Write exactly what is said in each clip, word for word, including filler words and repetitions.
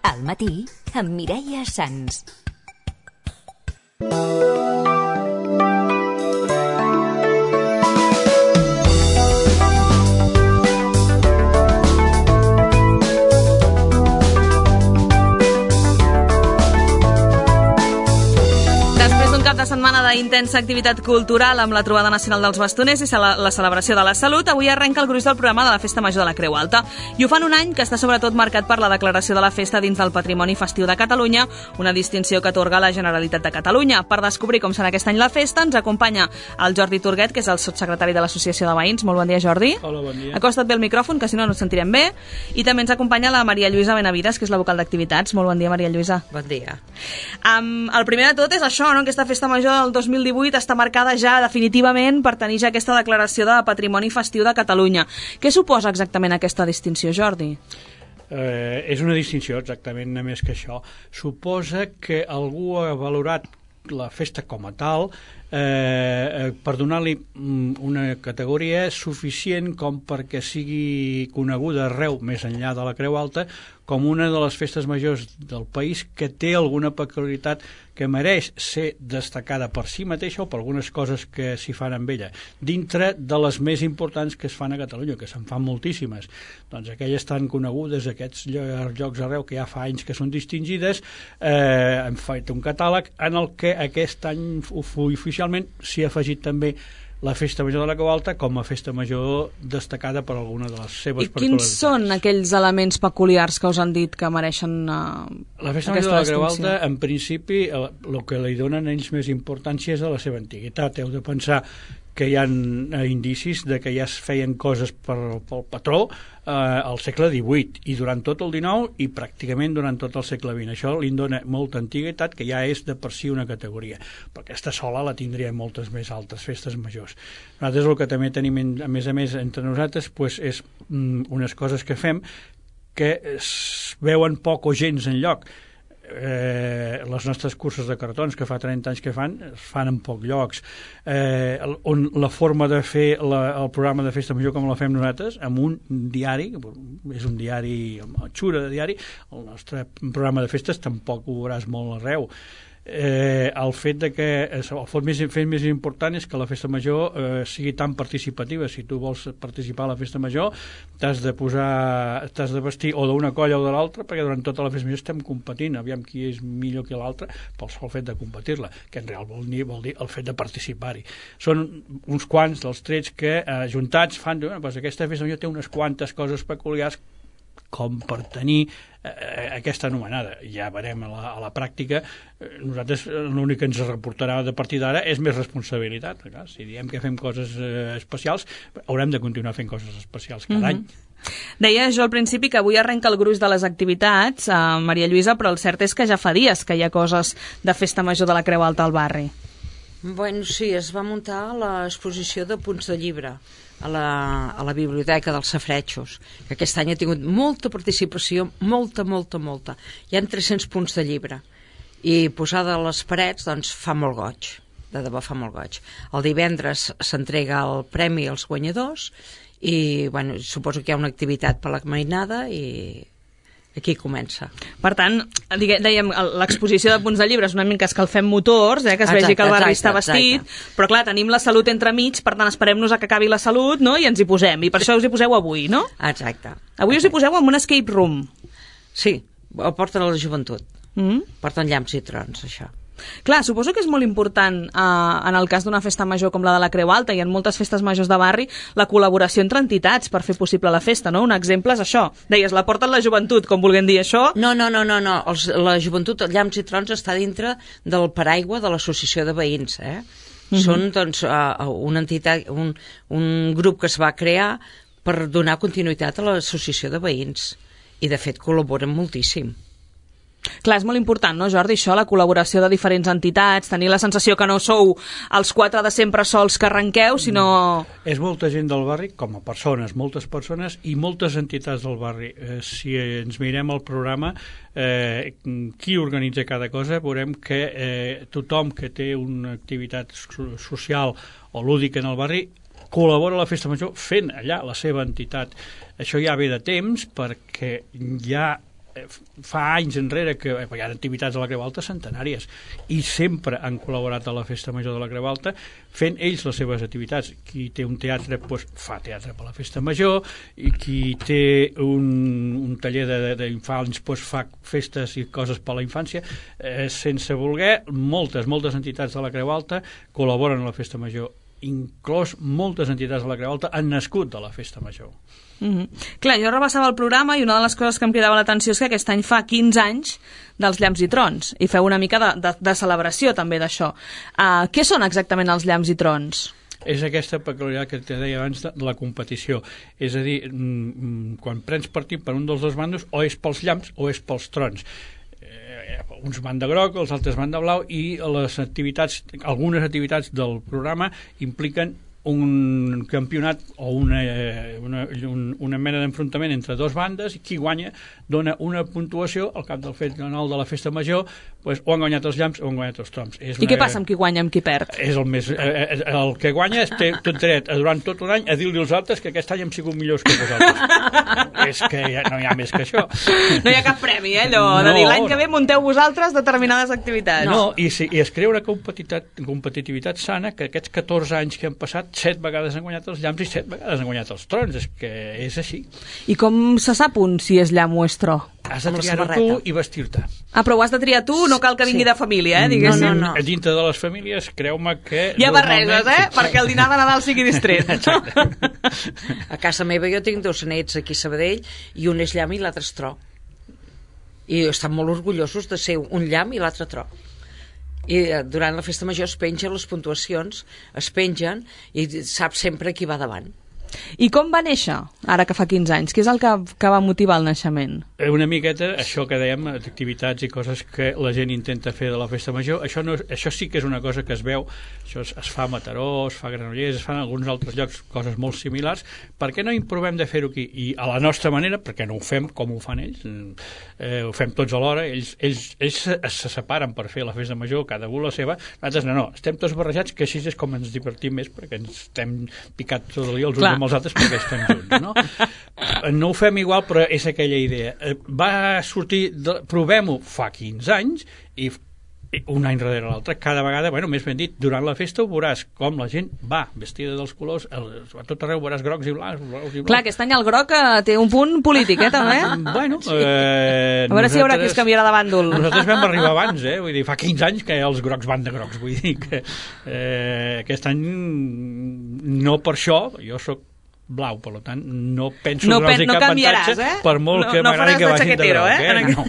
Al matí, amb Mireia Sans. De setmana d'intensa activitat cultural amb la trobada nacional dels bastoners i la celebració de la salut, avui arrenca el gruix del programa de la Festa Major de la Creu Alta. I ho fan un any que està sobretot marcat per la declaració de la festa dins del Patrimoni Festiu de Catalunya, una distinció que atorga la Generalitat de Catalunya. Per descobrir com serà aquest any la festa, ens acompanya el Jordi Turguet, que és el sotssecretari de l'Associació de Veïns. Molt bon dia, Jordi. Hola, bon dia. Acosta't bé el micròfon, que si no no ens sentirem bé. I també ens acompanya la Maria Lluïsa Benavides, que és la vocal d'activitats. Molt bon dia, Maria Lluïsa. Bon dia. Um, el primer de tot és això, no? Aquesta festa major del dos mil divuit està marcada ja definitivament per tenir ja aquesta declaració de Patrimoni Festiu de Catalunya. Què suposa exactament aquesta distinció, Jordi? Eh, és una distinció, exactament, no més que això. Suposa que algú ha valorat la festa com a tal eh, per donar-li una categoria suficient com perquè sigui coneguda arreu, més enllà de la Creu Alta, com una de les festes majors del país que té alguna peculiaritat que mereix ser destacada per si mateixa o per algunes coses que s'hi fan amb ella, dintre de les més importants que es fan a Catalunya, que se'n fan moltíssimes. Doncs aquelles tan conegudes, aquests llocs arreu que ja fa anys que són distingides, eh, hem fet un catàleg en el que aquest any oficialment s'hi ha afegit també la Festa Major de la Creu Alta com a festa major destacada per alguna de les seves I particularitats. quins són aquells elements peculiars que us han dit que mereixen uh, la Festa Major de la Creu Alta, en principi, el, el que li donen ells més importància és a la seva antiguitat. Heu de pensar que hi ha indicis de que ja es feien coses per, pel patró eh, al segle divuit i durant tot el dinou i pràcticament durant tot el segle vint. Això li dona molta antiguitat, que ja és de per si una categoria, però aquesta sola la tindria moltes més altres festes majors. Nosaltres el que també tenim, a més a més, entre nosaltres pues, és mm, unes coses que fem que es veuen poc o gens enlloc. Eh, les nostres curses de cartons que fa trenta anys que fan, es fan en pocs llocs, eh, on la forma de fer la, el programa de festa major com la fem nosaltres, amb un diari, és un diari amb xura de diari, el nostre programa de festes tampoc ho veuràs molt arreu. Eh, el fet de que el fet més, fet més important és que la festa major eh, sigui tan participativa. Si tu vols participar a la festa major t'has de posar, t'has de vestir o d'una colla o de l'altra, perquè durant tota la festa major estem competint, aviam qui és millor que l'altre pel sol fet de competir-la, que en real vol dir, vol dir el fet de participar-hi. Són uns quants dels trets que eh, juntats fan, bueno, doncs aquesta festa major té unes quantes coses peculiars com per tenir eh, aquesta anomenada. Ja veurem a la, a la pràctica. Nosaltres l'únic que ens reportarà de partir d'ara és més responsabilitat. Clar, si diem que fem coses eh, especials, haurem de continuar fent coses especials cada mm-hmm. any. Deia jo al principi que avui arrenca el gruix de les activitats, eh, Maria Lluïsa, però el cert és que ja fa dies que hi ha coses de festa major de la Creu Alta al barri. Bueno, sí, es va muntar l'exposició de punts de llibre a la, a la biblioteca dels Safaretjos, que aquest any ha tingut molta participació, molta, molta, molta. Hi ha tres-cents punts de llibre i posada a les parets doncs fa molt goig, de debò fa molt goig. El divendres s'entrega el premi als guanyadors i bueno, suposo que hi ha una activitat per la mainada i aquí comença. Per tant, dèiem, l'exposició de punts de llibre és una mica escalfem motors, eh, que es exacte, vegi que el barri exacte, està vestit, exacte. Però clar, tenim la salut entremig, per tant esperem-nos a que acabi la salut, no?, i ens hi posem, i per això us hi poseu avui, no? Exacte. Avui us hi poseu en un escape room. Sí, el porten a la joventut. Mm? Porten llamps i trons, això. Clar, suposo que és molt important eh, en el cas d'una festa major com la de la Creu Alta i en moltes festes majors de barri la col·laboració entre entitats per fer possible la festa, no? Un exemple és això. Deies, la porten la joventut, com vulguem dir això. No, no, no, no, no. Els, la joventut, el Llamps i Trons està dintre del paraigua de l'associació de veïns, eh? Mm-hmm. Són, doncs, uh, una entitat, un, un grup que es va crear per donar continuïtat a l'associació de veïns i, de fet, col·laboren moltíssim. Clar, és molt important, no, Jordi, això, la col·laboració de diferents entitats, tenir la sensació que no sou els quatre de sempre sols que arrenqueu, sinó... És molta gent del barri, com a persones, moltes persones i moltes entitats del barri. Eh, si ens mirem el programa, eh, qui organitza cada cosa, veurem que eh, tothom que té una activitat social o lúdica en el barri col·labora a la festa major fent allà la seva entitat. Això ja ve de temps perquè ja fa anys enrere que hi ha activitats a la Creu Alta centenàries i sempre han col·laborat a la Festa Major de la Creu Alta fent ells les seves activitats. Qui té un teatre doncs, fa teatre per la Festa Major, i qui té un, un taller d'infants doncs, fa festes i coses per a la infància. Eh, sense voler, moltes, moltes entitats de la Creu Alta col·laboren a la Festa Major, inclòs moltes entitats de la Creu Alta han nascut de la Festa Major. Mm-hmm. Clar, jo repassava el programa i una de les coses que em cridava l'atenció és que aquest any fa quinze anys dels llamps i trons, i feu una mica de, de, de celebració també d'això. Uh, què són exactament els llamps i trons? És aquesta peculiaritat que te deia abans de la competició. És a dir, quan prens partit per un dels dos bandos, o és pels llamps o és pels trons. Eh, uns van de groc, els altres van de blau, i les activitats, algunes activitats del programa impliquen un campionat o una, una, una mena d'enfrontament entre dues bandes, i qui guanya dona una puntuació al cap del fet final de la Festa Major, pues, o han guanyat els llamps o han guanyat els trons. És I una, què passa amb qui guanya, amb qui perd? És el, més, eh, el que guanya té tot dret durant tot un any a dir-li als altres que aquest any hem sigut millors que vosaltres. És que ja, no hi ha més que això. No hi ha cap premi, eh, allò, no, de dir l'any que ve munteu vosaltres determinades activitats. No, i, si, i es crea una competitivitat, competitivitat sana, que aquests catorze anys que han passat, set vegades han guanyat els llamps i set vegades han guanyat els trons. És que és així. I com se sap un si és llamp o és tro? Has de triar-ho tu i vestir-te. Ah, però ho has de triar tu, no cal que vingui Sí. de família, eh, diguéssim. No, no, no. Dintre de les famílies, creu-me que... Hi ha barreges, eh? Perquè el dinar de Nadal sigui distret. A casa meva jo tinc dos nets aquí a Sabadell, i un és llamp i l'altre és tro. I estan molt orgullosos de ser un llamp i l'altre tro. I durant la Festa Major es pengen les puntuacions, es pengen, i sap sempre qui va davant. I com va néixer, ara que fa quinze anys? Què és el que, que va motivar el naixement? Una miqueta, això que dèiem, activitats i coses que la gent intenta fer de la Festa Major, això, no, això sí que és una cosa que es veu, això es, es fa a Mataró, es fa a Granollers, es fa en alguns altres llocs, coses molt similars. Per què no improvem de fer-ho aquí? I a la nostra manera, perquè no ho fem com ho fan ells, eh, ho fem tots alhora, ells, ells, ells se, se separen per fer la Festa Major, cada un la seva, nosaltres no, no, estem tots barrejats, que així és com ens divertim més, perquè ens estem picats tot el dia els uns amb els altres perquè estem junts, no? No ho fem igual, però és aquella idea. Va sortir, de, provem-ho fa quinze anys, i un any darrere l'altre, cada vegada, bueno, més ben dit, durant la festa ho veuràs com la gent va vestida dels colors, a tot arreu veuràs grocs i blancs, grocs i blancs. Clar, aquest any el groc té un punt polític, eh, també? Bueno, eh, a veure si hi haurà qui es canviarà de bàndol. Nosaltres vam arribar abans, eh? Vull dir, fa quinze anys que els grocs van de grocs, vull dir que eh, aquest any no per això, jo sóc blau, per tant, no penso no donar-los pen, no cap canviaràs, avantatge, eh? per molt no, que no m'agradi que vagin de groc, eh? eh? No.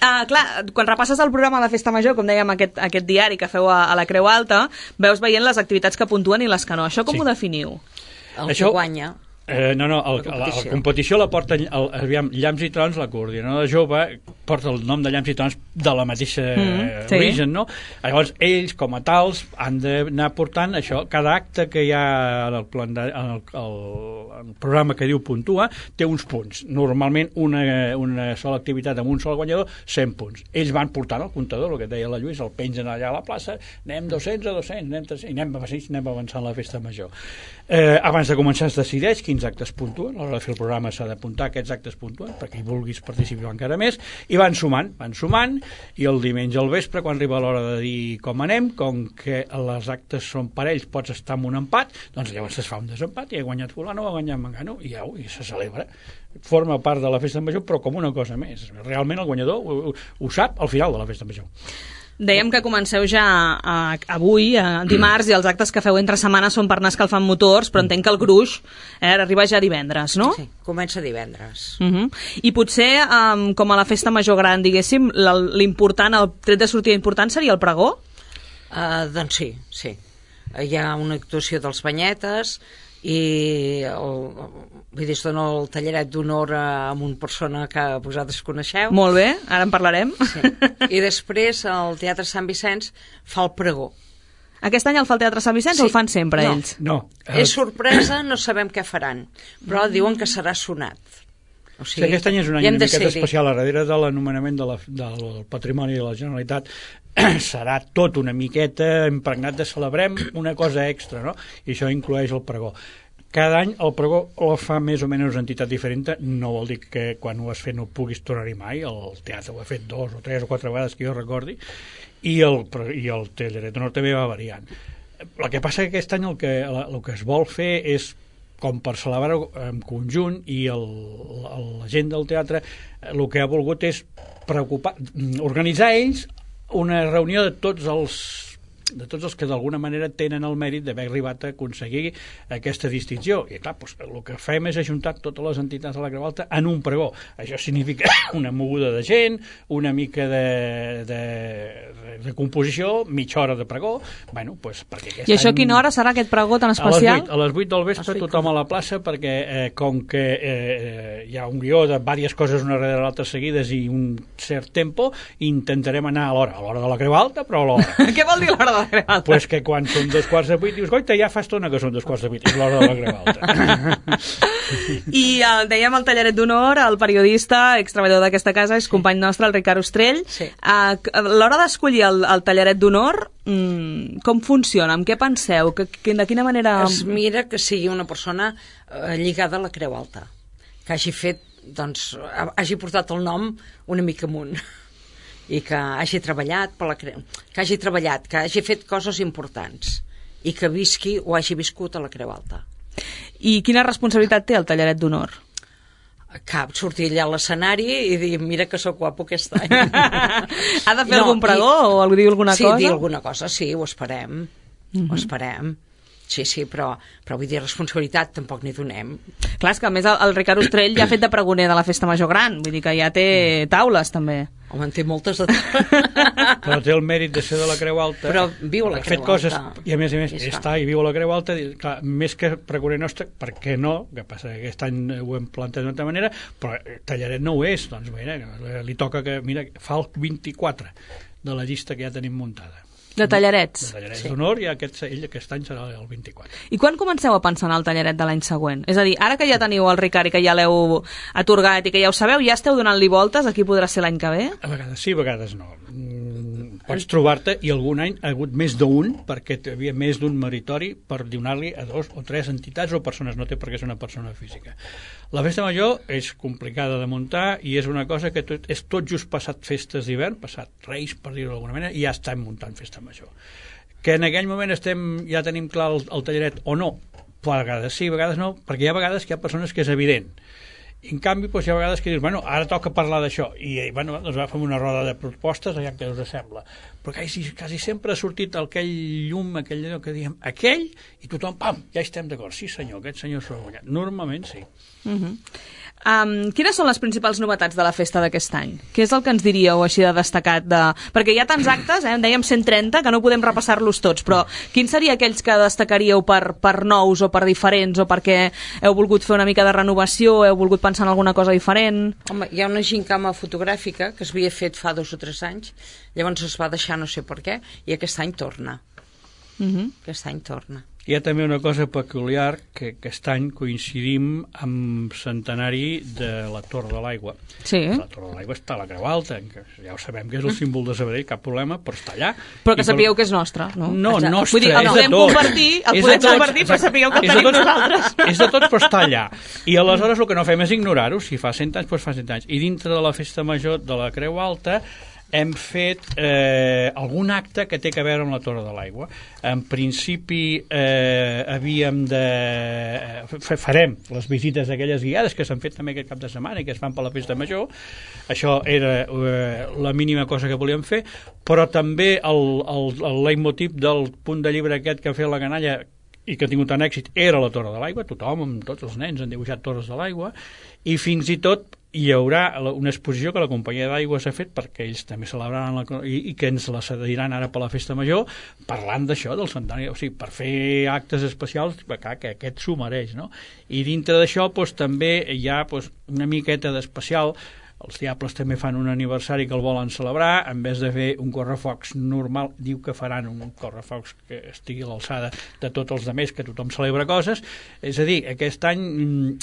uh, clar, quan repasses el programa de la Festa Major, com dèiem, aquest, aquest diari que feu a, a la Creu Alta, veus veient les activitats que puntuen i les que no. Això com Sí. ho definiu? El Això- que guanya... Eh, no, no, el, la, la, la competició la porta el, aviam, Llamps i Trons, la coordinadora jove porta el nom de Llamps i Trons de la mateixa Mm, sí. origen, no? Llavors ells com a tals han d'anar portant això, cada acte que hi ha en el, plan de, en el, el, el programa que diu puntua té uns punts, normalment una, una sola activitat amb un sol guanyador cent punts, ells van portant el comptador, el que deia la Lluís, el pengen allà a la plaça, anem dos-cents a dos-cents, anem tres cents, i anem, anem avançant la Festa Major. Eh, abans de començar es decideix quins actes puntuen, a l'hora de fer el programa s'ha d'apuntar aquests actes puntuen, perquè hi vulguis participar encara més, i van sumant, van sumant, i el diumenge al vespre, quan arriba l'hora de dir com anem, com que els actes són parells, pots estar en un empat, doncs llavors es fa un desempat, i ha guanyat fulano, ha guanyat mangano, i, ja, i se celebra. Forma part de la Festa Major, però com una cosa més. Realment el guanyador ho, ho, ho sap al final de la Festa Major. Dèiem que comenceu ja a, avui, a dimarts, i els actes que feu entre setmanes són per anar escalfant motors, però entenc que el gruix eh, arriba ja divendres, no? Sí, comença divendres. Uh -huh. I potser, um, com a la Festa Major gran, diguéssim, l'important, el tret de sortida important seria el pregó? Uh, doncs sí, sí. Hi ha una actuació dels banyetes i el, vull dir, es dona el talleret d'honor a una persona que vosaltres coneixeu. Molt bé, ara en parlarem. Sí. I després el Teatre Sant Vicenç fa el pregó. Aquest any el fa el Teatre Sant Vicenç, sí. O el fan sempre no. ells? No. És sorpresa, no sabem què faran, però diuen que serà sonat. O sigui, sí, aquest any és un any una una miqueta especial, a darrere de l'anomenament de la, del Patrimoni de la Generalitat serà tot una miqueta impregnat de celebrem una cosa extra, no? I això inclueix el pregó. cada any el pregó el fa més o menys una entitat diferent, no vol dir que quan ho has fet no puguis tornar-hi mai, el teatre ho ha fet dos o tres o quatre vegades que jo recordi, i el, i el Tallaret d'Honor també va variant. El que passa que aquest any el que, el que es vol fer és com per celebrar-ho en conjunt, i el, la gent del teatre el que ha volgut és preocupar, organitzar ells una reunió de tots els de tots els que d'alguna manera tenen el mèrit d'haver arribat a aconseguir aquesta distinció. I clar, doncs, el que fem és ajuntar totes les entitats de la Creu Alta en un pregó. Això significa una moguda de gent, una mica de, de, de composició, mitja hora de pregó. Bueno, doncs, perquè aquest I això any... a quina hora serà aquest pregó tan especial? A les vuit del vespre, tothom a la plaça, perquè eh, com que eh, hi ha un guió de diverses coses una darrere l'altra seguides i un cert tempo, intentarem anar a l'hora, a l'hora de la Creu Alta, però a l'hora. Què vol dir l'hora de la Creu Alta? Pues que quan són dos quarts de vuit dius, goita, ja fa estona que són dos quarts de vuit, és l'hora de la Creu Alta. I el, dèiem el Tallaret d'Honor, el periodista, extreballador d'aquesta casa, és company nostre, el Ricard Ostrell. Sí. A l'hora d'escollir el, el Tallaret d'Honor, mmm, com funciona? Amb què penseu? Que, que, de quina manera... Es mira que sigui una persona eh, lligada a la Creu Alta, que hagi fet, doncs, hagi portat el nom una mica amunt, i que hagi treballat per la Creu, que hagi treballat, que hagi fet coses importants i que visqui o hagi viscut a la Creu Alta. I quina responsabilitat té el Tallaret d'Honor? Cap, sortir allà a l'escenari i dir, mira que sóc guapo aquest any. Ha de fer no, algun pregó i... o dir alguna sí, cosa? Sí, dir alguna cosa, sí, ho esperem, uh-huh. ho esperem. Sí, sí, però, però vull dir, responsabilitat tampoc n'hi donem. Clar, és que a més el, el Ricard Ostrell ja ha fet de pregoner de la Festa Major Gran, vull dir que ja té taules també. Home, en té moltes de... Però té el mèrit de ser de la Creu Alta. Però viu a la Creu coses, Alta. I a més a més està i viu a la Creu Alta, clar, més que pregoner nostre, per què no? Que passa que aquest any ho hem plantat d'una altra manera, però Tallaret no ho és, doncs mira, li toca que, mira, fa el vint-i-quatre de la llista que ja tenim muntada. De tallarets. De tallarets sí. d'honor, i aquest, ell aquest any serà el vint-i-quatre. I quan comenceu a pensar en el tallaret de l'any següent? És a dir, ara que ja teniu el Ricard i que ja l'heu atorgat i que ja ho sabeu, ja esteu donant-li voltes a qui podrà ser l'any que ve? A vegades sí, a vegades no. Pots trobar-te, i algun any ha hagut més d'un, perquè hi havia més d'un meritori per donar-li a dos o tres entitats o persones, no té per què ser una persona física. La festa major és complicada de muntar i és una cosa que tot, és tot just passat festes d'hivern, passat Reis, per dir-ho d'alguna manera, i ja estem muntant festa major. Que en aquell moment estem, ja tenim clar el, el tallaret o no, però a vegades sí, a vegades no, perquè hi ha vegades que hi ha persones que és evident. I en canvi, doncs, hi ha vegades que dius, bueno, ara toca parlar d'això, i bueno, doncs va fer una roda de propostes, allà que us sembla. Però quasi, quasi sempre ha sortit aquell llum, aquell allò que diem, aquell, i tothom, pam, ja estem d'acord, sí senyor, aquest senyor s'ho ha guanyat. Normalment sí. Uh-huh. Um, quines són les principals novetats de la festa d'aquest any? Què és el que ens diríeu així de destacat? De... Perquè hi ha tants actes, eh? En dèiem cent trenta, que no podem repassar-los tots, però quins seria aquells que destacaríeu per, per nous o per diferents, o perquè heu volgut fer una mica de renovació, heu volgut pensar en alguna cosa diferent? Home, hi ha una gincama fotogràfica que es havia fet fa dos o tres anys, llavors es va deixar no sé per què, i aquest any torna. Uh-huh. Aquest any torna. Hi ha també una cosa peculiar, que aquest any coincidim amb centenari de la Torre de l'Aigua. Sí. La Torre de l'Aigua està a la Creu Alta, que ja ho sabem que és el símbol de Sabadell, cap problema, però està allà. Però que sapigueu per... que és nostre, no? No, Exacte. nostre, Vull dir, el és de podem tots. Compartir, el podem tots, compartir, però sapigueu que el tenim tots, nosaltres. És de tots, però està allà. I aleshores el que no fem és ignorar-ho. Si fa cent anys, doncs fa cent anys. I dintre de la festa major de la Creu Alta hem fet eh, algun acte que té a veure amb la Torre de l'Aigua. En principi eh, havíem de... Eh, farem les visites d'aquelles guiades que s'han fet també aquest cap de setmana i que es fan per la festa major. Això era eh, la mínima cosa que volíem fer, però també el, el, el leitmotiv del punt de llibre aquest que ha fet la canalla i que ha tingut tant èxit era la Torre de l'Aigua. Tothom, amb tots els nens han dibuixat torres de l'aigua, i fins i tot hi haurà una exposició que la companyia d'aigua s'ha fet perquè ells també celebraran la, i, i que ens la cediran ara per la festa major, parlant d'això del centenari, o sigui, per fer actes especials, clar, que aquest s'ho mereix, no? I dintre d'això doncs, també hi ha doncs, una miqueta d'especial. Els Diables també fan un aniversari que el volen celebrar, en vez de fer un correfocs normal, diu que faran un correfocs que estigui a l'alçada de tots els altres, que tothom celebra coses. És a dir, aquest any,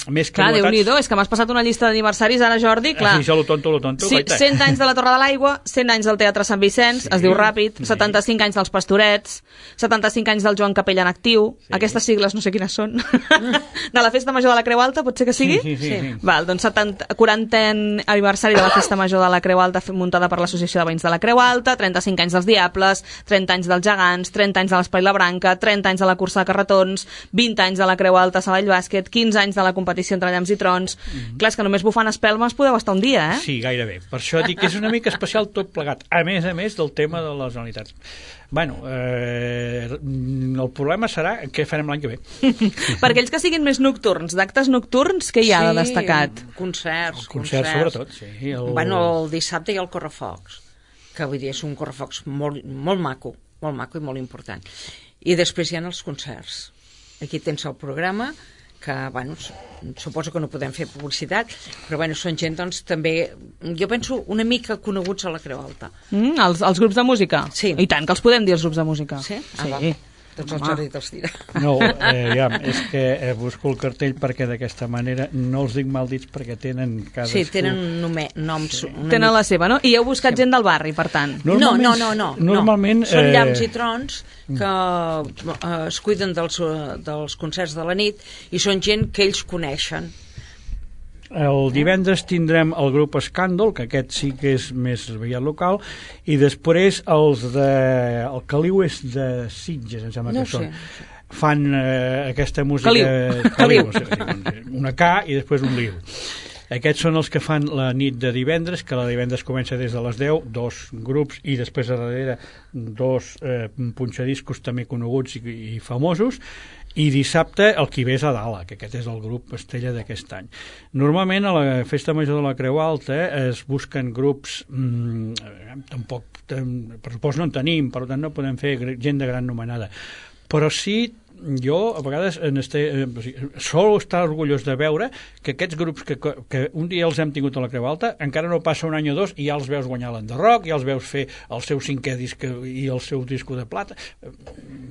més que clar, novetats... Déu-n'hi-do, és que m'has passat una llista d'aniversaris ara, Jordi, clar. Així, lo tonto, lo tonto. Sí, cent anys de la Torre de l'Aigua, cent anys del Teatre Sant Vicenç, Sí, es diu ràpid, sí. setanta-cinc anys dels Pastorets, setanta-cinc anys del Joan Capella en actiu, Sí. aquestes sigles no sé quines són, de la Festa Major de la Creu Alta, pot ser que sigui? Sí, sí, sí. sí. Val, doncs setanta, quarantè aniversari de la Festa Major de la Creu Alta muntada per l'Associació de Veïns de la Creu Alta, trenta-cinc anys dels Diables, trenta anys dels Gegants, trenta anys de l'Espai La Branca, trenta anys de la cursa de carretons, vint anys de la Creu Alta Savall Bàsquet, quinze anys de la competició entre llamps i trons. Mm-hmm. Clar, és que només bufant espelmes podeu estar un dia, eh? Sí, gairebé. Per això dic que és una mica especial tot plegat, a més a més del tema de les unitats. Bueno, eh, el problema serà què farem l'any que ve. Per aquells que siguin més nocturns, d'actes nocturns, què hi ha de destacat? Concerts, El concert, sobretot, sí. El... Bueno, el dissabte hi ha el correfocs, que vull dir, és un correfocs molt, molt maco, molt maco i molt important. I després hi ha els concerts. Aquí tens el programa, que, bueno, suposo que no podem fer publicitat, però, bueno, són gent, doncs, també, jo penso, una mica coneguts a la Creu Alta. Mm, els, els grups de música? Sí. I tant, que els podem dir, els grups de música. Sí? Ah, Sí. va. Doncs el Jordi te'ls dirà. No, eh, ja, és que eh, busco el cartell perquè d'aquesta manera no els dic mal dits perquè tenen cadascú... Sí, tenen un nome, noms... Sí. Tenen la seva, no? I heu buscat gent del barri, per tant. No, no, no, no, no. Normalment... Són eh, llamps i trons que eh, es cuiden dels, dels concerts de la nit i són gent que ells coneixen. El divendres tindrem el grup Escàndol, que aquest sí que és més aviat local, i després els de... el Caliu és de Sitges, em sembla No que ho són. sé. Fan eh, aquesta música... Caliu. Caliu. Sí, una K i després un liu. Aquests són els que fan la nit de divendres, que la divendres comença des de les deu, dos grups, i després a darrere dos eh, punxadiscos també coneguts i, i famosos, i dissabte el qui ve és a Dala, que aquest és el grup estrella d'aquest any. Normalment a la Festa Major de la Creu Alta es busquen grups, mmm, tampoc pressupost no en tenim, per tant no podem fer gent de gran nomenada, però sí jo a vegades en este, eh, sol estar orgullós de veure que aquests grups que, que un dia els hem tingut a la Creu Alta, encara no passa un any o dos i ja els veus guanyar l'Enderroc, ja els veus fer el seu cinquè disc i el seu disco de plata.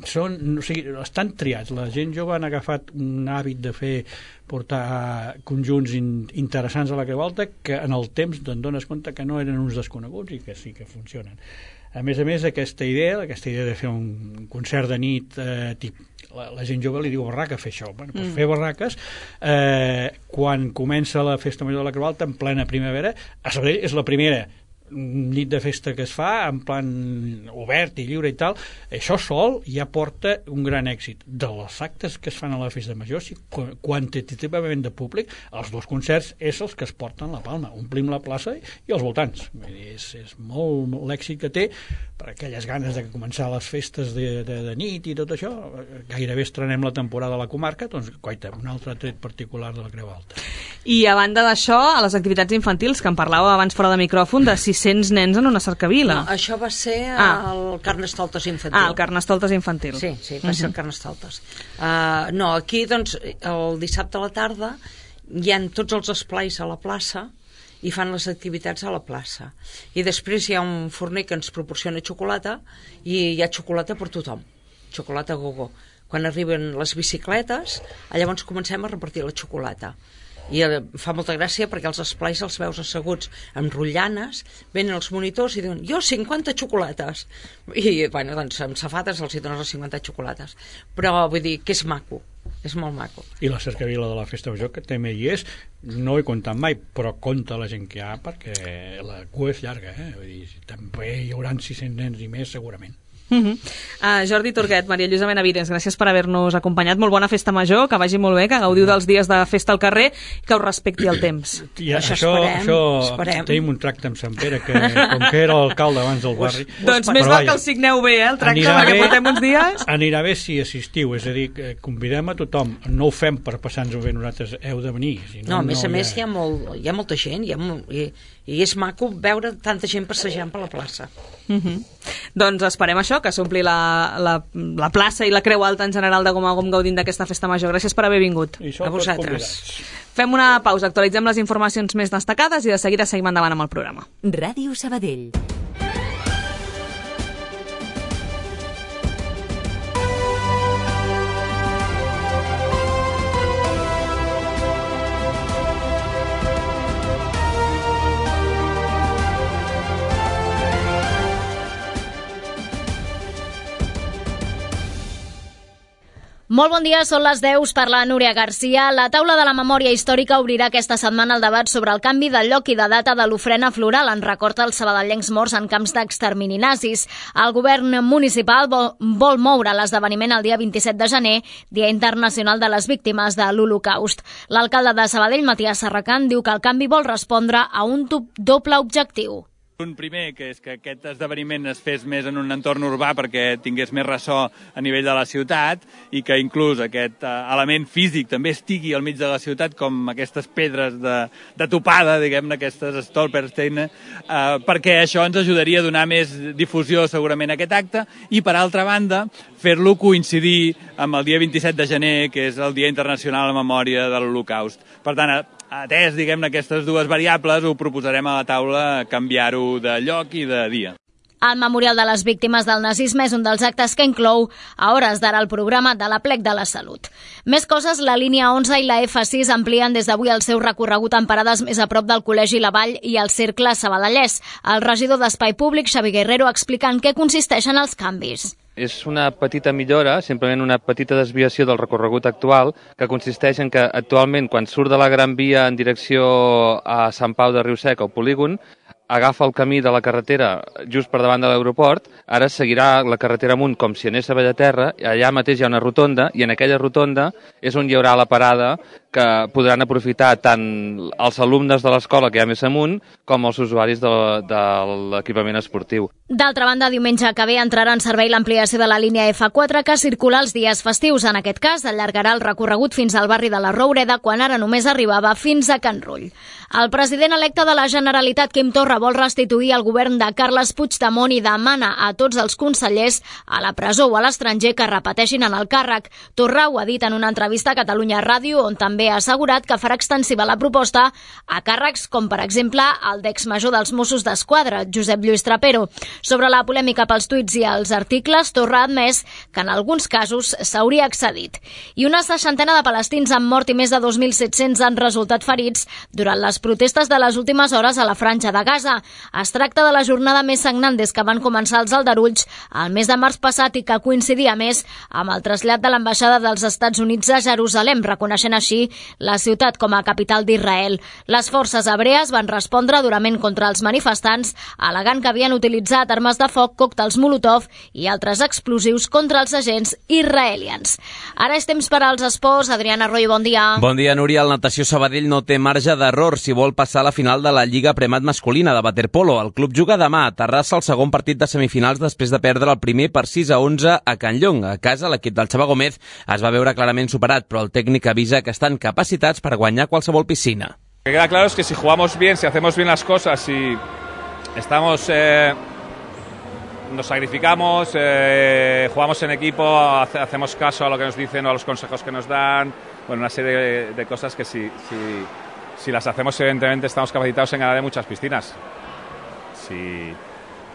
Són, o sigui, estan triats. La gent jove han agafat un hàbit de fer portar conjunts in, interessants a la Creu Alta que en el temps te'n dones compte que no eren uns desconeguts i que sí que funcionen. A més a més, aquesta idea, aquesta idea de fer un concert de nit, eh, tip, la, la gent jove li diu barraca fer això. Bueno, doncs mm. fer barraques, eh, quan comença la Festa Major de la Creu Alta, en plena primavera, a Sabadell és la primera nit de festa que es fa en plan obert i lliure i tal, això sol ja porta un gran èxit. De les actes que es fan a la Festa Major, si quantitativament de públic, els dos concerts és els que es porten la palma, omplim la plaça i els voltants. És, és molt, molt l'èxit que té per aquelles ganes de començar les festes de, de, de nit i tot això. Gairebé estrenem la temporada a la comarca, doncs coita, un altre tret particular de la Creu Alta. I a banda d'això, a les activitats infantils, que en parlàveu abans fora de micròfon, de sis-cents nens en una cercavila. No, això va ser Ah. el Carnestoltes infantil. Ah, el Carnestoltes infantil. Sí, sí, va ser el Carnestoltes. Uh, no, aquí, doncs, el dissabte a la tarda hi ha tots els esplais a la plaça i fan les activitats a la plaça. I després hi ha un forner que ens proporciona xocolata i hi ha xocolata per tothom. Xocolata gogo. Quan arriben les bicicletes, llavors comencem a repartir la xocolata. I fa molta gràcia perquè els esplais els veus asseguts amb rotllanes, venen els monitors i diuen jo cinquanta xocolates i bueno, doncs amb safates els hi dones les cinquanta xocolates, però vull dir que és maco, és molt maco. I la cercavila de la Festa Major que també hi és, no he comptat mai, però compta la gent que hi ha perquè la cua és llarga, eh? Vull dir, també hi haurà sis-cents nens i més segurament. Uh -huh. uh, Jordi Turguet, Maria Lluïsa Benavides, gràcies per haver-nos acompanyat. Molt bona festa major, que vagi molt bé, que gaudiu dels dies de festa al carrer i que us respecti el temps. I Això això, esperem, això esperem. tenim un tracte amb Sant Pere que com que era l'alcalde abans del barri Doncs però més val vaja, que el signeu bé, eh, el tracte, anirà perquè bé- portem uns dies. anirà bé si assistiu, és a dir, que convidem a tothom, no ho fem per passar-nos-ho bé, nosaltres heu de venir, si no, No, a més no a més hi ha, molt, hi ha molta gent hi ha molt, i, i és maco veure tanta gent passejant per la plaça. Uh -huh. Doncs esperem això, que s'ompli la, la, la plaça i la Creu Alta en general de Gom a Gom gaudint d'aquesta festa major. Gràcies per haver vingut. I sou A tots vosaltres. convidats. Fem una pausa, actualitzem les informacions més destacades i de seguida seguim endavant amb el programa. Ràdio Sabadell. Molt bon dia, són les deu, per la Núria Garcia. La taula de la memòria històrica obrirà aquesta setmana el debat sobre el canvi de lloc i de data de l'ofrena floral en record als sabadellencs morts en camps d'extermini nazis. El govern municipal vol, vol moure l'esdeveniment el dia vint-i-set de gener, Dia Internacional de les Víctimes de l'Holocaust. L'alcalde de Sabadell, Matías Serracant, diu que el canvi vol respondre a un doble objectiu. Un primer, que és que aquest esdeveniment es fes més en un entorn urbà perquè tingués més ressò a nivell de la ciutat i que inclús aquest uh, element físic també estigui al mig de la ciutat, com aquestes pedres de, de topada, diguem-ne, aquestes stolpersteine, uh, perquè això ens ajudaria a donar més difusió segurament a aquest acte i, per altra banda, fer-lo coincidir amb el dia vint-i-set de gener, que és el Dia Internacional en Memòria de l'Holocaust. Per tant, atès, diguem-ne, aquestes dues variables, ho proposarem a la taula canviar-ho de lloc i de dia. El Memorial de les Víctimes del Nazisme és un dels actes que inclou a hores d'ara el programa de l'Aplec de la Salut. Més coses, la línia onze i la F sis amplien des d'avui el seu recorregut en parades més a prop del Col·legi La Vall i el Cercle Sabadellès. El regidor d'Espai Públic, Xavi Guerrero, explica en què consisteixen els canvis. És una petita millora, simplement una petita desviació del recorregut actual, que consisteix en que actualment, quan surt de la Gran Via en direcció a Sant Pau de Riusec o Polígon, agafa el camí de la carretera just per davant de l'aeroport, ara seguirà la carretera amunt com si anés a Bellaterra, allà mateix hi ha una rotonda, i en aquella rotonda és on hi haurà la parada que podran aprofitar tant els alumnes de l'escola que hi ha més amunt com els usuaris de, de l'equipament esportiu. D'altra banda, diumenge que ve entrarà en servei l'ampliació de la línia F quatre que circula els dies festius. En aquest cas, allargarà el recorregut fins al barri de la Roureda, quan ara només arribava fins a Can Rull. El president electe de la Generalitat, Quim Torra, vol restituir el govern de Carles Puigdemont i demana a tots els consellers a la presó o a l'estranger que repeteixin en el càrrec. Torra ho ha dit en una entrevista a Catalunya Ràdio, on també ha assegurat que farà extensiva la proposta a càrrecs com, per exemple, el d'exmajor dels Mossos d'Esquadra, Josep Lluís Trapero. Sobre la polèmica pels tuits i els articles, Torra ha admès que en alguns casos s'hauria excedit. I una seixantena de palestins han mort i més de dos mil set-cents han resultat ferits durant les protestes de les últimes hores a la Franja de Gaza. Es tracta de la jornada més sagnant des que van començar els aldarulls el mes de març passat i que coincidia més amb el trasllat de l'ambaixada dels Estats Units a Jerusalem, reconeixent així la ciutat com a capital d'Israel. Les forces hebrees van respondre durament contra els manifestants, al·legant que havien utilitzat armes de foc, còctels Molotov i altres explosius contra els agents israelians. Ara és temps per als esports. Adriana Arroyo, bon dia. Bon dia, Núria. El Natació Sabadell no té marge d'error si vol passar a la final de la Lliga Premat masculina de waterpolo. El club juga demà a Terrassa el segon partit de semifinals després de perdre el primer per sis a onze a Can Llong. A casa, l'equip del Xavier Gómez es va veure clarament superat, però el tècnic avisa que estan capacitats per guanyar qualsevol piscina. Lo que queda claro es que si jugamos bien, si hacemos bien las cosas, si estamos, eh, nos sacrificamos, eh, jugamos en equipo, hace, hacemos caso a lo que nos dicen o a los consejos que nos dan, bueno, una serie de, de cosas que si, si, si las hacemos, evidentemente estamos capacitados en ganar en muchas piscinas. Si,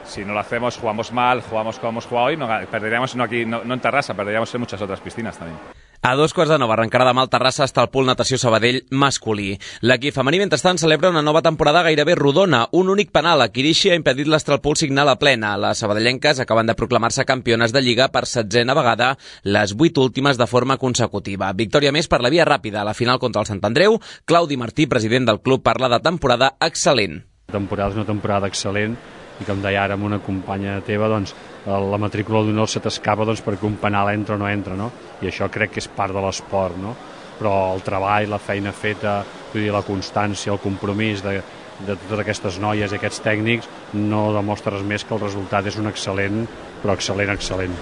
si no lo hacemos, jugamos mal, jugamos como hemos jugado hoy, no, perderíamos no, aquí, no, no en Terrassa, perderíamos en muchas otras piscinas también. A dos quarts de nou arrencarà demà al Terrassa hasta el Pool Natació Sabadell masculí. L'equip femení, mentrestant, celebra una nova temporada gairebé rodona. Un únic penal a Quirixi ha impedit l'Astralpool signar la plena. Les sabadellenques acaben de proclamar-se campiones de Lliga per setzena vegada, les vuit últimes de forma consecutiva. Victòria més per la via ràpida a la final contra el Sant Andreu. Claudi Martí, president del club, parla de temporada excel·lent. La temporada és una temporada excel·lent i, com deia ara amb una companya teva, doncs, la matrícula d'honor se t'escapa doncs, perquè un penal entra o no entra, no? I això crec que és part de l'esport, no? Però el treball, la feina feta, vull dir, la constància, el compromís de, de totes aquestes noies i aquests tècnics no demostra res més que el resultat és un excel·lent, però excel·lent, excel·lent.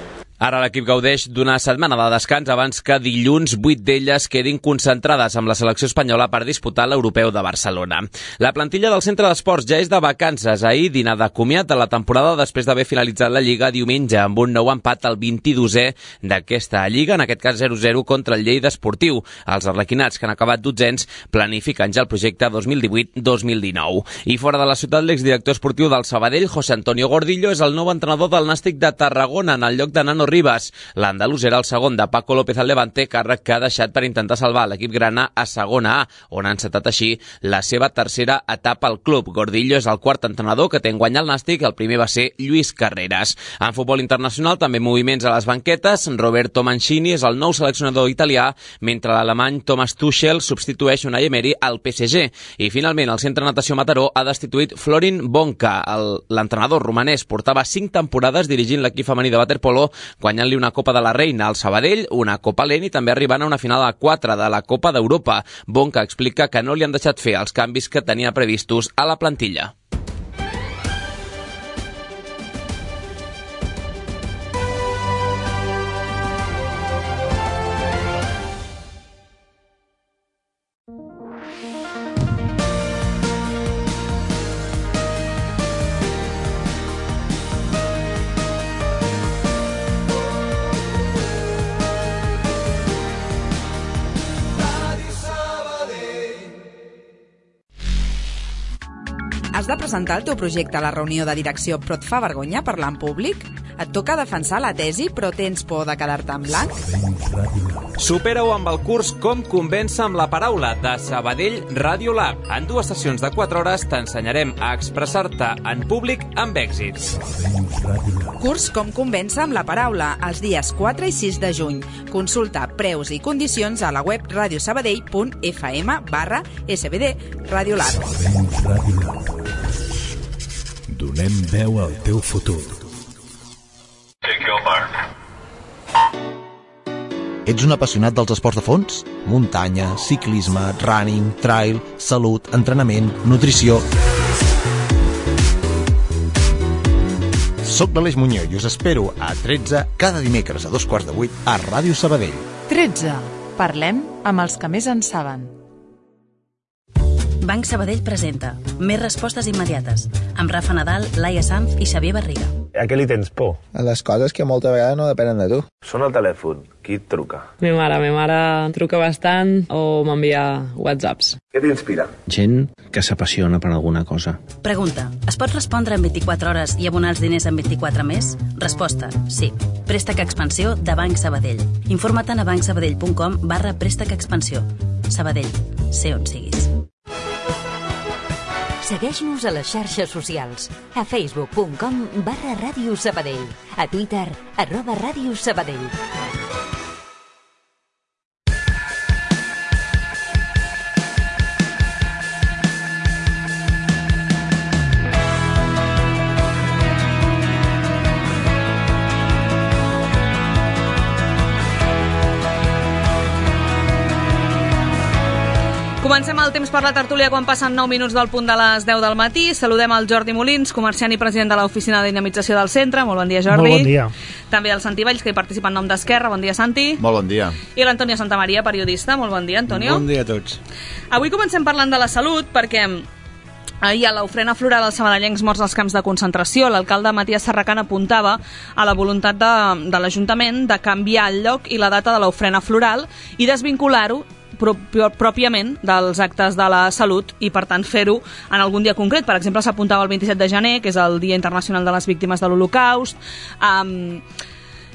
Ara l'equip gaudeix d'una setmana de descans abans que dilluns vuit d'elles quedin concentrades amb la selecció espanyola per disputar l'Europeu de Barcelona. La plantilla del centre d'esports ja és de vacances. Ahir, dinar de comiat de la temporada després d'haver finalitzat la Lliga diumenge amb un nou empat al vint-i-dosè d'aquesta Lliga, en aquest cas zero zero contra el Lleida Esportiu. Els arlequinats, que han acabat dotzens, planifiquen ja el projecte dos mil divuit dos mil dinou. I fora de la ciutat, l'exdirector esportiu del Sabadell, José Antonio Gordillo, és el nou entrenador del Nàstic de Tarragona en el lloc de Nano Rivas. L'andalús era el segon de Paco López al Levante, càrrec que ha deixat per intentar salvar l'equip grana a segona A, on ha encetat així la seva tercera etapa al club. Gordillo és el quart entrenador que té en guany el Nàstic, el primer va ser Lluís Carreras. En futbol internacional també moviments a les banquetes. Roberto Mancini és el nou seleccionador italià, mentre l'alemany Thomas Tuchel substitueix Unai Emery al P S G. I finalment el Centre Natació Mataró ha destituït Florin Bonca. L'entrenador romanès portava cinc temporades dirigint l'equip femení de waterpolo, guanyant-li una Copa de la Reina al Sabadell, una Copa Lent i també arribant a una final a quatre de la Copa d'Europa. Bonca explica que no li han deixat fer els canvis que tenia previstos a la plantilla. Has de presentar el teu projecte a la reunió de direcció però et fa vergonya parlar en públic? Et toca defensar la tesi però tens por de quedar-te en blanc? Supera-ho amb el curs Com convèncer amb la paraula de Sabadell Radio Lab. En dues sessions de quatre hores t'ensenyarem a expressar-te en públic amb èxit. Curs Com convèncer amb la paraula els dies quatre i sis de juny. Consulta preus i condicions a la web radiosabadell punt f m barra s b d Radio Lab. Donem veu al teu futur. Ets un apassionat dels esports de fons? Muntanya, ciclisme, running, trail, salut, entrenament, nutrició... Soc l'Aleix Muñoz i us espero a tretze cada dimecres a dos quarts de vuit a Ràdio Sabadell. tretze. Parlem amb els que més en saben. Banc Sabadell presenta Més respostes immediates amb Rafa Nadal, Laia Sanz i Xavier Barriga. A què li tens por? A les coses que molta vegada no depenen de tu. Sona el telèfon. Qui et truca? Mi mare. Mi mare truca bastant o m'envia whatsapps. Què t'inspira? Gent que s'apassiona per alguna cosa. Pregunta. Es pot respondre en vint-i-quatre hores i abonar els diners en vint-i-quatre més? Resposta. Sí. Préstec Expansió de Banc Sabadell. Informa't a bancsabadell punt com barra préstec expansió. Sabadell. Sé on siguis. Segueix-nos a les xarxes socials. A facebook punt com barra Ràdio Sabadell. A Twitter, arroba Ràdio Sabadell. Comencem el temps per la tertúlia quan passen nou minuts del punt de les deu del matí. Saludem el Jordi Molins, comerciant i president de l'Oficina de Dinamització del Centre. Molt bon dia, Jordi. Molt bon dia. També el Santi Valls, que hi participa en nom d'Esquerra. Bon dia, Santi. Molt bon dia. I l'Antonio Santamaria, periodista. Molt bon dia, Antonio. Bon dia a tots. Avui comencem parlant de la salut perquè ahir a l'ofrena floral als sabadellencs morts als camps de concentració, l'alcalde Matías Serracant apuntava a la voluntat de, de l'Ajuntament de canviar el lloc i la data de l'ofrena floral i desvincular-ho pròpiament dels actes de la salut i, per tant, fer-ho en algun dia concret. Per exemple, s'apuntava el vint-i-set de gener, que és el Dia Internacional de les Víctimes de l'Holocaust. Um,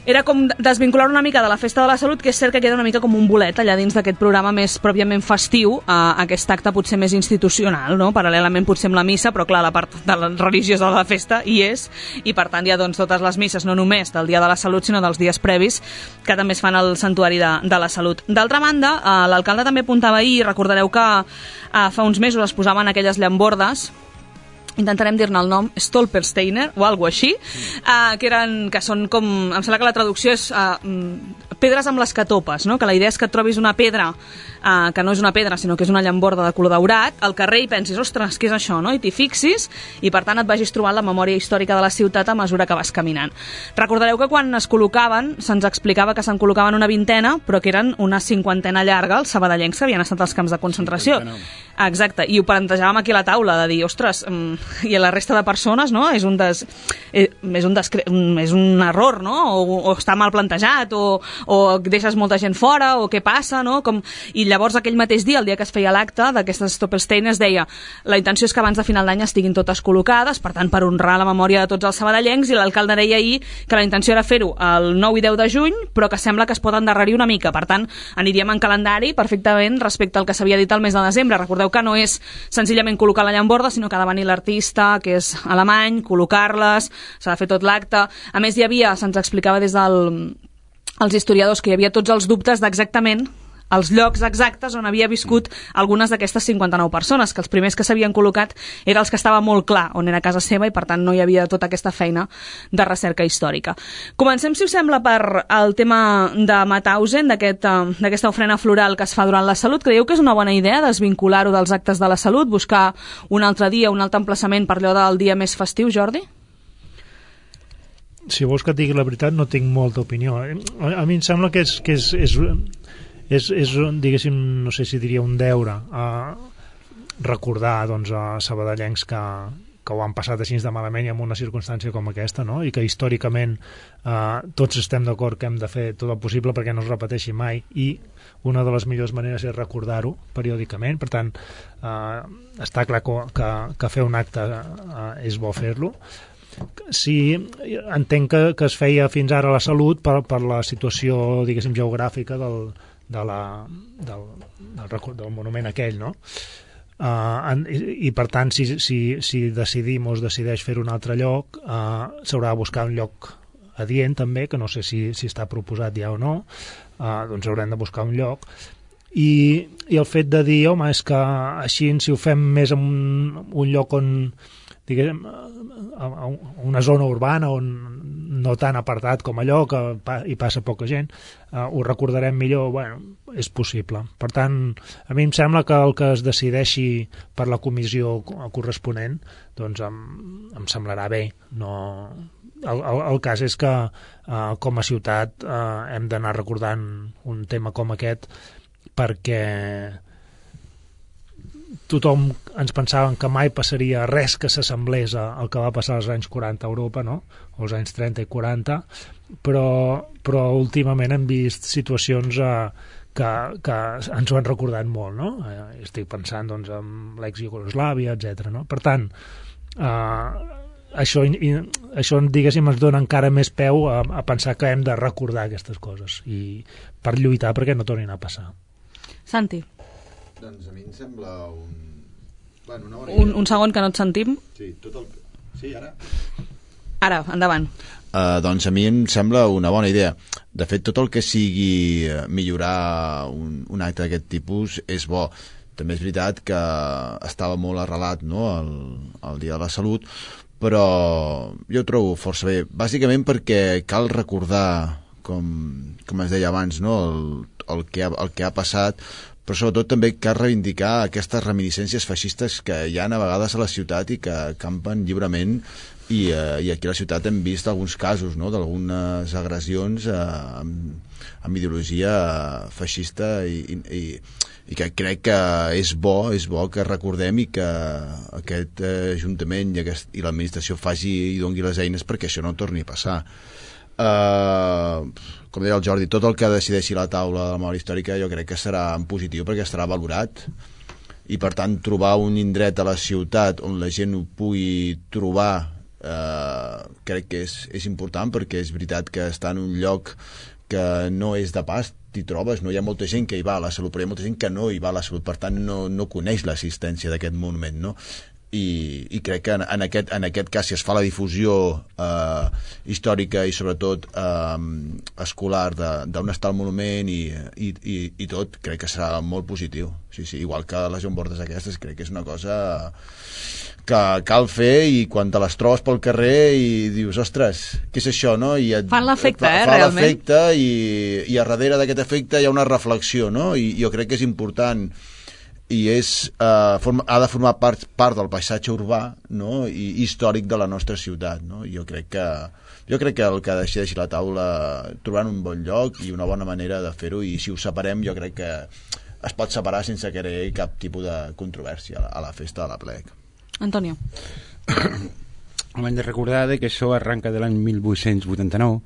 era com desvincular una mica de la Festa de la Salut, que és cert que queda una mica com un bolet allà dins d'aquest programa més pròpiament festiu, a aquest acte potser més institucional, no? Paral·lelament potser amb la missa, però clar, la part de la religiosa de la festa hi és, i per tant hi ha doncs, totes les misses, no només del Dia de la Salut, sinó dels dies previs, que també es fan al Santuari de, de la Salut. D'altra banda, eh, l'alcalde també apuntava ahir, recordareu que eh, fa uns mesos es posaven aquelles llambordes, intentarem dir-ne el nom, Stolpersteiner o alguna així, uh, que, eren, que són com, em sembla que la traducció és uh, pedres amb les que topes, no? Que la idea és que et trobis una pedra eh, que no és una pedra, sinó que és una llamborda de color daurat, al carrer i pensis, ostres, què és això, no? I t'hi fixis i per tant et vagis trobant la memòria històrica de la ciutat a mesura que vas caminant. Recordareu que quan es col·locaven, se'ns explicava que se'n col·locaven una vintena, però que eren una cinquantena llarga els sabadellencs que havien estat als camps de concentració. Exacte, i ho plantejàvem aquí a la taula, de dir, ostres, i a la resta de persones, no? És un, des, és un, descre... és un error, no? O, o està mal plantejat, o, o deixes molta gent fora, o què passa, no? Com... I llavors aquell mateix dia, el dia que es feia l'acte d'aquestes Stoppelstein, es deia, la intenció és que abans de final d'any estiguin totes col·locades, per tant, per honrar la memòria de tots els sabadellencs, i l'alcalde deia ahir que la intenció era fer-ho el nou i deu de juny, però que sembla que es pot endarrerir una mica, per tant, aniríem en calendari perfectament respecte al que s'havia dit al mes de desembre. Recordeu que no és senzillament col·locar la llamborda, sinó que ha de venir l'artista, que és alemany, col·locar-les, s'ha de fer tot l'acte. A més, hi havia, se'ns explicava des dels del, historiadors, que hi havia tots els dubtes d'exactament els llocs exactes on havia viscut algunes d'aquestes cinquanta-nou persones, que els primers que s'havien col·locat eren els que estava molt clar on era casa seva i per tant no hi havia tota aquesta feina de recerca històrica. Comencem, si us sembla, per el tema de Mauthausen, d'aquesta aquest, ofrena floral que es fa durant la Salut. Creieu que és una bona idea desvincular-ho dels actes de la Salut, buscar un altre dia, un altre emplaçament per allò del dia més festiu, Jordi? Si vols que et digui la veritat, no tinc molta opinió. A, a mi em sembla que és... Que és, és És, és, diguéssim, no sé si diria un deure a recordar doncs, a sabadellencs que, que ho han passat així de malament i en una circumstància com aquesta, no? I que històricament eh, tots estem d'acord que hem de fer tot el possible perquè no es repeteixi mai, i una de les millors maneres és recordar-ho periòdicament. Per tant, eh, està clar que, que, que fer un acte eh, és bo fer-lo. Sí, entenc que, que es feia fins ara a la Salut per, per la situació, diguéssim, geogràfica del De la, del, del, del monument aquell, no? Uh, en, i, i per tant, si, si, si decidim o es decideix fer un altre lloc, uh, s'haurà de buscar un lloc adient també, que no sé si, si està proposat ja o no, uh, doncs haurem de buscar un lloc. I, i el fet de dir, home, és que així, si ho fem més en un, un lloc on, diguem, a una zona urbana on no tan apartat com allò, que hi passa poca gent, uh, ho recordarem millor, bueno, és possible. Per tant, a mi em sembla que el que es decideixi per la comissió corresponent, doncs em, em semblarà bé. No... El, el, el cas és que uh, com a ciutat uh, hem d'anar recordant un tema com aquest perquè tothom ens pensàvem que mai passaria res que s'assemblés al que va passar als anys quaranta a Europa, no? O als anys trenta i quaranta, però, però últimament hem vist situacions eh, que, que ens ho han recordat molt, no? Eh, estic pensant doncs, en l'ex-Iugoslàvia, etcètera. No? Per tant, eh, això, i, això diguéssim, ens dona encara més peu a, a pensar que hem de recordar aquestes coses i per lluitar perquè no tornin a passar. Santi. Doncs a mi em sembla un... Bueno, una bona un, un segon que no et sentim. Sí, tot el... sí, ara? Ara, endavant. Uh, doncs a mi em sembla una bona idea. De fet, tot el que sigui millorar un, un acte d'aquest tipus és bo. També és veritat que estava molt arrelat, no?, el, el Dia de la Salut, però jo ho trobo força bé. Bàsicament perquè cal recordar, com, com es deia abans, no?, el, el, que ha, el que ha passat, però sobretot també cal reivindicar aquestes reminiscències feixistes que hi ha a vegades a la ciutat i que campen lliurement i, eh, i aquí a la ciutat hem vist alguns casos, no?, d'algunes agressions eh, amb, amb ideologia feixista i, i, i que crec que és bo, és bo que recordem i que aquest eh, Ajuntament i, aquest, i l'administració faci i doni les eines perquè això no torni a passar. Uh, com deia el Jordi, tot el que decideixi la taula de la memòria històrica jo crec que serà en positiu perquè estarà valorat i per tant trobar un indret a la ciutat on la gent ho pugui trobar uh, crec que és, és important perquè és veritat que està en un lloc que no és de pas, t'hi trobes, no hi ha molta gent que hi va a la Salut, però hi ha molta gent que no hi va a la Salut, per tant no, no coneix l'existència d'aquest monument, no? I, i crec que en, en, aquest, en aquest cas si es fa la difusió eh, històrica i sobretot eh, escolar d'on està el monument i, i, i, i tot, crec que serà molt positiu. Sí, sí, igual que les llambordes aquestes, crec que és una cosa que cal fer, i quan te les trobes pel carrer i dius, ostres, què és això, no? I et, fan l'efecte, fa, eh, fa realment. l'efecte, i, i a darrere d'aquest efecte hi ha una reflexió, no? I jo crec que és important, i és, eh, forma, ha de formar part, part del paisatge urbà, no? I històric de la nostra ciutat, no? Jo crec que jo crec que el que decideixi la taula trobaran un bon lloc i una bona manera de fer-ho, i si ho separem jo crec que es pot separar sense que hi hagi cap tipus de controvèrsia a la, a la festa de la plec. Antonio. Hem de recordar que això arranca de l'any mil vuit-cents vuitanta-nou,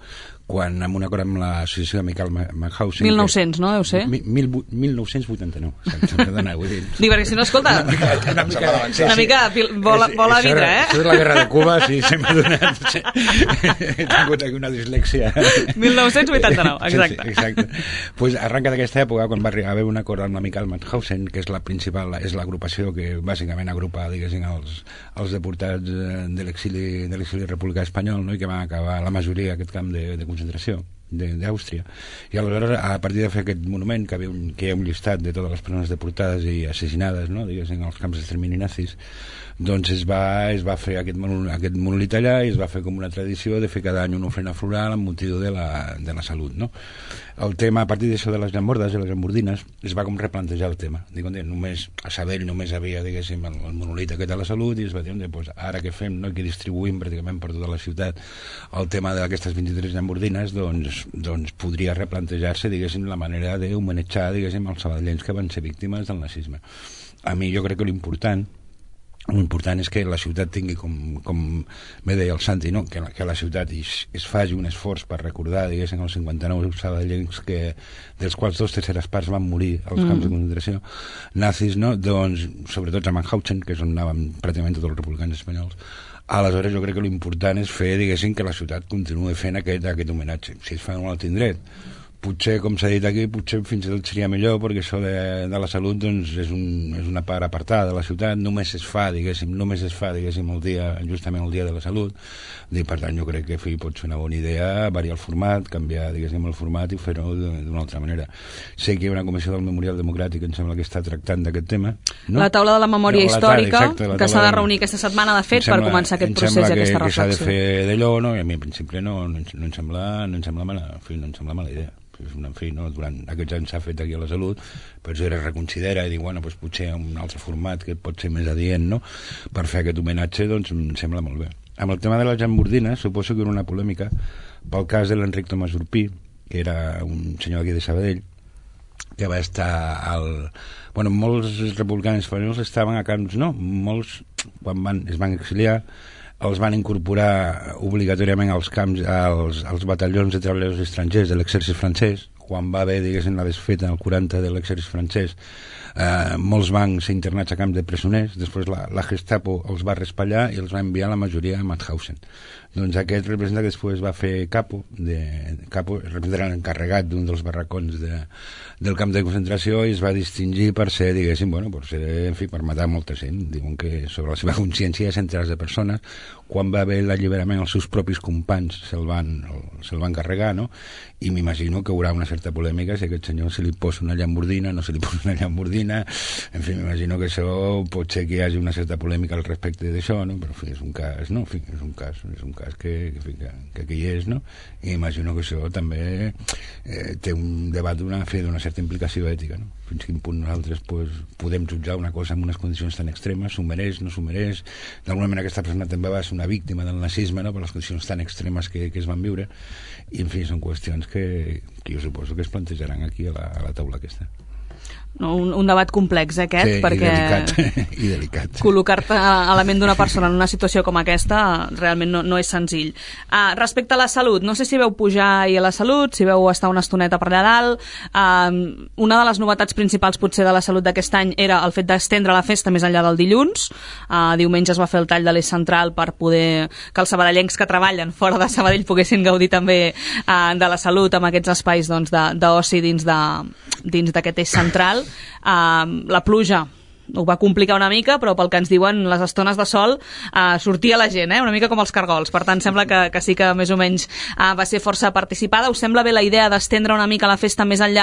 quan amb un acord amb l'associació de Michael Mannhausen... mil nou-cents, no? Deu ser? mil nou-cents vuitanta-nou. Perdona, vull dir... Dic, perquè si no, escolta, una mica, una mica, sí, una mica sí. bola, bola a vidre, eh? Això és la guerra de Cuba, sí, se m'ha donat... He tingut aquí una dislèxia. mil nou-cents vuitanta-nou, exacte. Sí, sí, exacte. Pues arranca d'aquesta època, quan va haver un acord amb la Michael Mannhausen, que és la principal, és l'agrupació que bàsicament agrupa, diguéssim, els, els deportats de l'exili de l'exili republicà espanyol, no? I que van acabar la majoria aquest camp de, de concentració d'Àustria. I aleshores, a partir de fer aquest monument, que, havia un, que hi ha un llistat de totes les persones deportades i assassinades, no? Diguéssim, als camps d'extermini nazis, doncs es va, es va fer aquest, aquest monolit allà, i es va fer com una tradició de fer cada any una ofrena floral amb motiu de la, de la salut, no? El tema, a partir d'això de les llambordes i les llambordines, es va com replantejar el tema. Dic, només, a Sabell només havia, diguéssim, el, el monolit aquest de la salut, i es va dir, pues, ara què fem, no? Que distribuïm pràcticament per tota la ciutat el tema d'aquestes vint-i-tres llambordines, doncs, doncs podria replantejar-se, diguéssim, la manera d'homenatjar, diguéssim, els sabadellencs que van ser víctimes del nazisme. A mi jo crec que l'important l'important és que la ciutat tingui, com, com bé deia el Santi, no? que, la, que la ciutat es, es faci un esforç per recordar, diguéssim, els cinquanta-nou sabadellencs que, dels quals dos terceres parts van morir als mm. camps de concentració nazis, no? Doncs, sobretot a Mannhausen, que és on anaven pràcticament tots els republicans espanyols. Aleshores jo crec que l'important és fer, diguéssim, que la ciutat continuï fent aquest, aquest homenatge. Si es fa en un altre indret, potser, com s'ha dit aquí, potser fins i tot seria millor, perquè això de, de la salut doncs, és, un, és una part apartada de la ciutat, només es fa, diguéssim, només es fa, diguéssim, el dia, justament el dia de la salut, i per tant jo crec que fi, pot ser una bona idea variar el format, canviar, diguéssim, el format i fer-ho d'una altra manera. Sé que hi ha una comissió del Memorial Democràtic, em sembla que està tractant d'aquest tema, no? La taula de la memòria no, històrica, exacte, que s'ha de reunir aquesta setmana, de fet, sembla, per començar aquest procés i aquesta reflexió. Em sembla que, que s'ha de fer d'allò, no? I a mi, en principi, no, no, no, em sembla, no, em sembla mala, en fi, no em sembla mala idea. En fi, no? Durant aquests anys s'ha fet aquí a la salut, però si es reconsidera i diu, bueno, doncs potser un altre format que pot ser més adient, no? Per fer aquest homenatge, doncs em sembla molt bé. Amb el tema de les llambordines, suposo que era una polèmica pel cas de l'Enric Tomàs Urpí, que era un senyor aquí de Sabadell, que va estar al... Bueno, molts republicans espanyols estaven a camps, no? Molts, quan van, es van exiliar, els van incorporar obligatòriament als camps, als, als batallons de treballadors estrangers de l'exèrcit francès. Quan va haver, diguéssim, la desfeta en el quaranta de l'exèrcit francès, eh, molts van ser internats a camps de presoners, després la, la Gestapo els va raspallar i els va enviar la majoria a Mauthausen. Doncs aquest representant que després va fer capo, de, capo representant l'encarregat d'un dels barracons de, del camp de concentració, i es va distingir per ser, diguéssim, bueno, per ser, en fi, per matar molta gent. Diuen que sobre la seva consciència de centenars de persones, quan va haver l'alliberament els seus propis companys se'l van, se van carregar, no? I m'imagino que hi haurà una certa polèmica si a aquest senyor se li posa una llambordina, no se li posa una llambordina, en fi, m'imagino que això pot ser que hi hagi una certa polèmica al respecte d'això, no? Però en fi, és un cas, no? En fi, és un cas, és un cas que, que, que, que aquí hi és, no? I imagino que això també eh, té un debat d'una d'una certa implicació ètica, no? Fins quin punt nosaltres pues, podem jutjar una cosa en unes condicions tan extremes, s'ho mereix, no s'ho mereix, d'alguna manera aquesta persona també va ser una víctima del nazisme, no? Per les condicions tan extremes que, que es van viure, i en fi, són qüestions que, que jo suposo que es plantejaran aquí a la, a la taula aquesta. No, un, un debat complex aquest, sí, perquè i delicat, i delicat. Col·locar-te a la ment d'una persona en una situació com aquesta realment no, no és senzill. Uh, respecte a la salut, no sé si veu pujar ahir a la salut, si veu estar una estoneta per allà dalt. Uh, una de les novetats principals potser de la salut d'aquest any era el fet d'estendre la festa més enllà del dilluns. Uh, diumenge es va fer el tall de l'eix central per poder que els sabadellencs que treballen fora de Sabadell poguessin gaudir també uh, de la salut amb aquests espais doncs, d'oci dins de, dins d'aquest eix central. Uh, la pluja ho va complicar una mica, però pel que ens diuen les estones de sol eh, sortia la gent, eh? Una mica com els cargols, per tant sembla que, que sí que més o menys eh, va ser força participada. Us sembla bé la idea d'estendre una mica la festa més enllà